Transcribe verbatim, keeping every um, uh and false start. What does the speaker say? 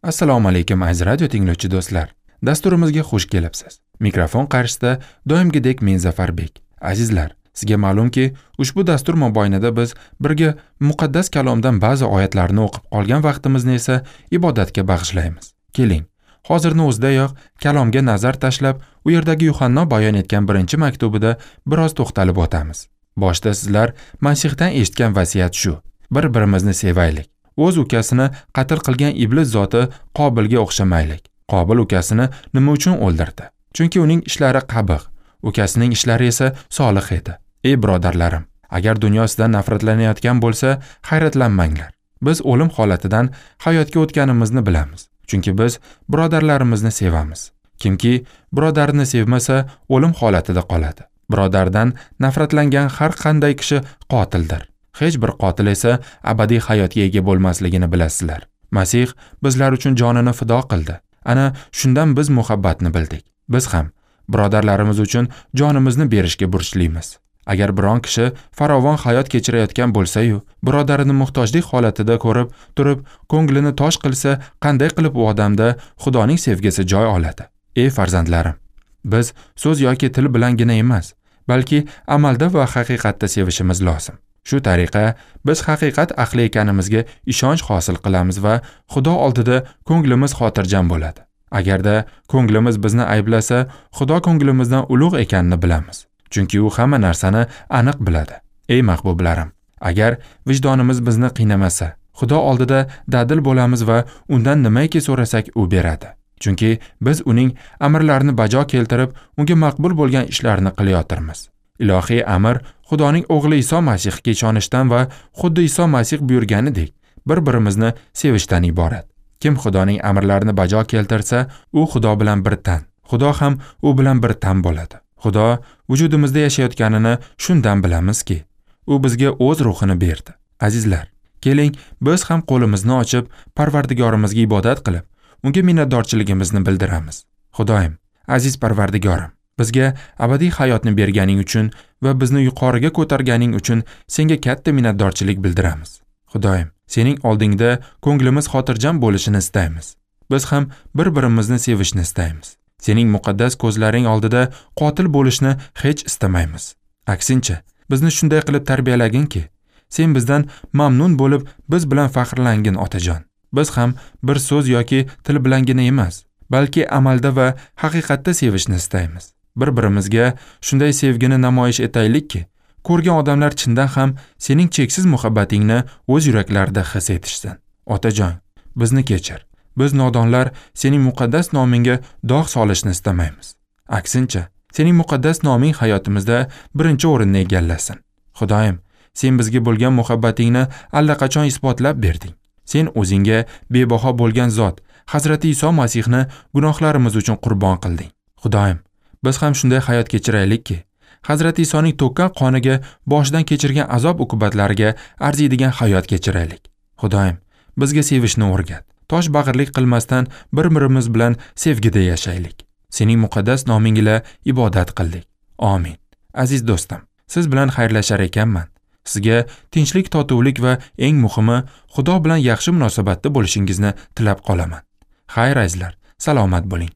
Assalomu alaykum aziz radio tinglovchi do'stlar. Dasturimizga xush kelibsiz. Mikrofon qarshisida doimgidek men Zafarbek. Azizlar, sizga ma'lumki, ushbu dastur mobaynida biz birga muqaddas kalomdan ba'zi oyatlarni o'qib qolgan vaqtimizni esa ibodatga bag'ishlaymiz. Keling, hozirni o'zidayoq kalomga nazar tashlab, u yerdagi Yuhanno bayon etgan birinchi maktubida biroz to'xtalib o'tamiz. Boshda sizlar Masihdan eshitgan vasiyat shu: bir-birimizni sevaylik. O'z ukasini qatl qilgan iblis zoti Qobilga o'xshamaylik. Qobil ukasini nima uchun o'ldirdi? Chunki uning ishlari qabih, ukasining ishlari esa solih edi. Ey birodarlarim, agar dunyo sizdan nafratlanayotgan bo'lsa, hayratlanmanglar. Biz o'lim holatidan hayotga o'tganimizni bilamiz. Chunki biz birodarlarimizni sevamiz. Kimki birodarini sevmasa, o'lim holatida qoladi. Birodardan nafratlangan har qanday kishi qotildir. Hech bir qotil esa abadiy hayotga ega bo'lmasligini bilasizlar. Masih bizlar uchun jonini fido qildi. Ana shundan biz muhabbatni bildik. Biz ham birodarlarimiz uchun jonimizni berishga burchlimiz. Agar biron kishi farovon hayot kechirayotgan bo'lsa-yu, birodarini muhtojlik holatida ko'rib turib, ko'nglini tosh qilsa, qanday qilib u odamda Xudoning sevgisi joy oladi? Ey farzandlarim, biz so'z yoki til bilangina emas, balki amalda va haqiqatda sevishimiz lozim. Shu tariqa biz haqiqat ahli ekanimizga ishonch hosil qilamiz va Xudo oldida ko'nglimiz xotirjam bo'ladi. Agarda ko'nglimiz bizni ayblasa, Xudo ko'nglimizdan ulug' ekanini bilamiz. Chunki u hamma narsani aniq biladi. Ey mahbublarim, agar vijdonimiz bizni qiynamasa, Xudo oldida dadil bo'lamiz va undan nimaiki so'rasak u beradi. Chunki biz uning amrlarini bajo keltirib, unga maqbul bo'lgan ishlarni qilayotirmiz. Ilohiy amr Xudoning o'g'li Iso Masihga ishonishdan va xuddi Iso Masih buyurganidek bir-birimizni sevishdan iborat. Kim Xudoning amrlarini bajo keltirsa, u Xudo bilan bir tan, Xudo ham u bilan bir tan bo'ladi. Xudo vujudimizda yashayotganini shundan bilamizki, u bizga o'z ruhini berdi. Azizlar, keling, biz ham qo'limizni ochib, Parvardigorimizga ibodat qilib, unga minnatdorchiligimizni bildiramiz. Xudoyim, aziz Parvardigorim, bizga abadiy hayotni berganing uchun va bizni yuqoriga ko'targaning uchun senga katta minnatdorchilik bildiramiz. Xudoyim, sening oldingda ko'nglimiz xotirjam bo'lishini istaymiz. Biz ham bir-birimizni sevishni istaymiz. Sening muqaddas ko'zlaring oldida qotil bo'lishni hech istamaymiz. Aksincha, bizni shunday qilib tarbiyalaginki, sen bizdan mamnun bo'lib, biz bilan faxrlangin, otajon. Biz ham bir so'z yoki til bilangina emas, balki amalda va haqiqatda sevishni istaymiz. Bir-birimizga shunday sevgini namoyish etaylikki, ko'rgan odamlar chindan ham sening cheksiz muhabbatingni o'z yuraklarida his etishsin. Otajon, bizni kechir. Biz nodonlar sening muqaddas nomingga dog' solishni istamaymiz. Aksincha, sening muqaddas noming hayotimizda birinchi o'rinni egallasin. Xudoyim, sen bizga bo'lgan muhabbatingni allaqachon isbotlab berding. Sen o'zingga bebaho bo'lgan zot, Hazrati Iso Masihni gunohlarimiz uchun qurbon qilding. Xudoyim, biz ham shunday hayot kechiraylikki, Hazrati Isoning to'kkan qoniga, boshidan kechirgan azob uqubatlariga arziydigan hayot kechiraylik. Xudoyim, bizga sevishni o'rgat. Tosh bag'irlik qilmasdan bir-birimiz bilan sevgida yashaylik. Sening muqaddas noming ila ibodat qildik. Amin. Aziz do'stim, siz bilan xayrlashar ekanman. Sizga tinchlik, totuvlik va eng muhimi Xudo bilan yaxshi munosabatda bo'lishingizni tilab qolaman. Xayr azizlar, salomat bo'ling.